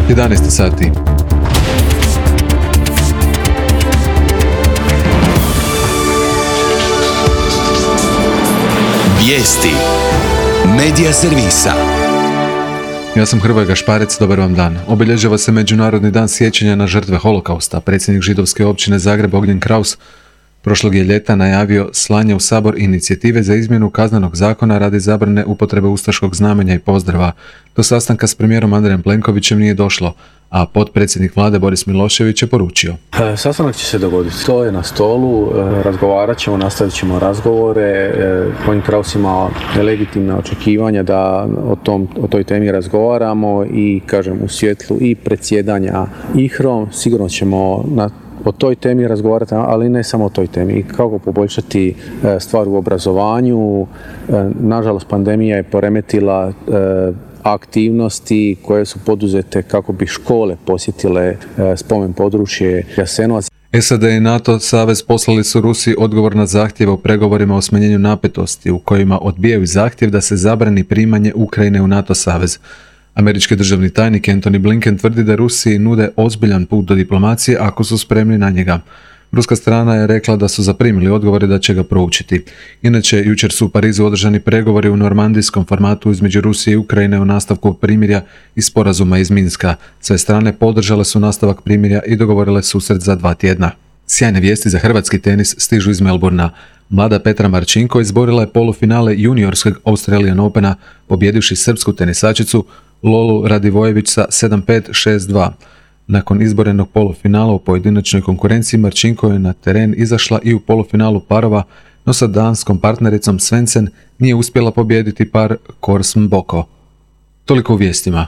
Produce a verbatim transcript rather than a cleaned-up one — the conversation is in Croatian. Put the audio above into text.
jedanaest sati. Vijesti Medija servisa. Ja sam Hrvoje Gašparec, dobar vam dan. Obilježava se Međunarodni dan sjećanja na žrtve holokausta. Predsjednik židovske općine Zagreb Ognjen Kraus prošlog je ljeta najavio slanje u Sabor inicijative za izmjenu kaznenog zakona radi zabrane upotrebe ustaškog znamenja i pozdrava. Do sastanka s premijerom Andrejem Plenkovićem nije došlo, a potpredsjednik vlade Boris Milošević je poručio. E, sastanak će se dogoditi. To je na stolu, e, razgovarat ćemo, nastavit ćemo razgovore. E, Ognjen Kraus ima legitimna očekivanja da o, tom, o toj temi razgovaramo i, kažem, u svjetlu i predsjedanja I H R O-om sigurno ćemo na o toj temi razgovarati, ali ne samo o toj temi. Kako poboljšati stvar u obrazovanju. Nažalost, pandemija je poremetila aktivnosti koje su poduzete kako bi škole posjetile spomen područje Jasenovac. S A D i NATO savez poslali su Rusiji odgovor na zahtjeve u pregovorima o smanjenju napetosti u kojima odbijaju zahtjev da se zabrani primanje Ukrajine u NATO savez. Američki državni tajnik Antony Blinken tvrdi da Rusiji nude ozbiljan put do diplomacije ako su spremni na njega. Ruska strana je rekla da su zaprimili odgovore da će ga proučiti. Inače, jučer su u Parizu održani pregovori u normandijskom formatu između Rusije i Ukrajine o nastavku primirja i sporazuma iz Minska. Sve strane podržale su nastavak primirja i dogovorile susret za dva tjedna. Sjajne vijesti za hrvatski tenis stižu iz Melbourna. Mlada Petra Marčinko izborila je polufinale juniorskog Australian Opena pobjedivši srpsku tenisačicu Lolu Radivojević sa sedam pet šest dva. Nakon izborenog polufinala u pojedinačnoj konkurenciji Marčinko je na teren izašla i u polufinalu parova, no sa danskom partnericom Svensson nije uspjela pobijediti par Korsm Boko. Toliko u vijestima.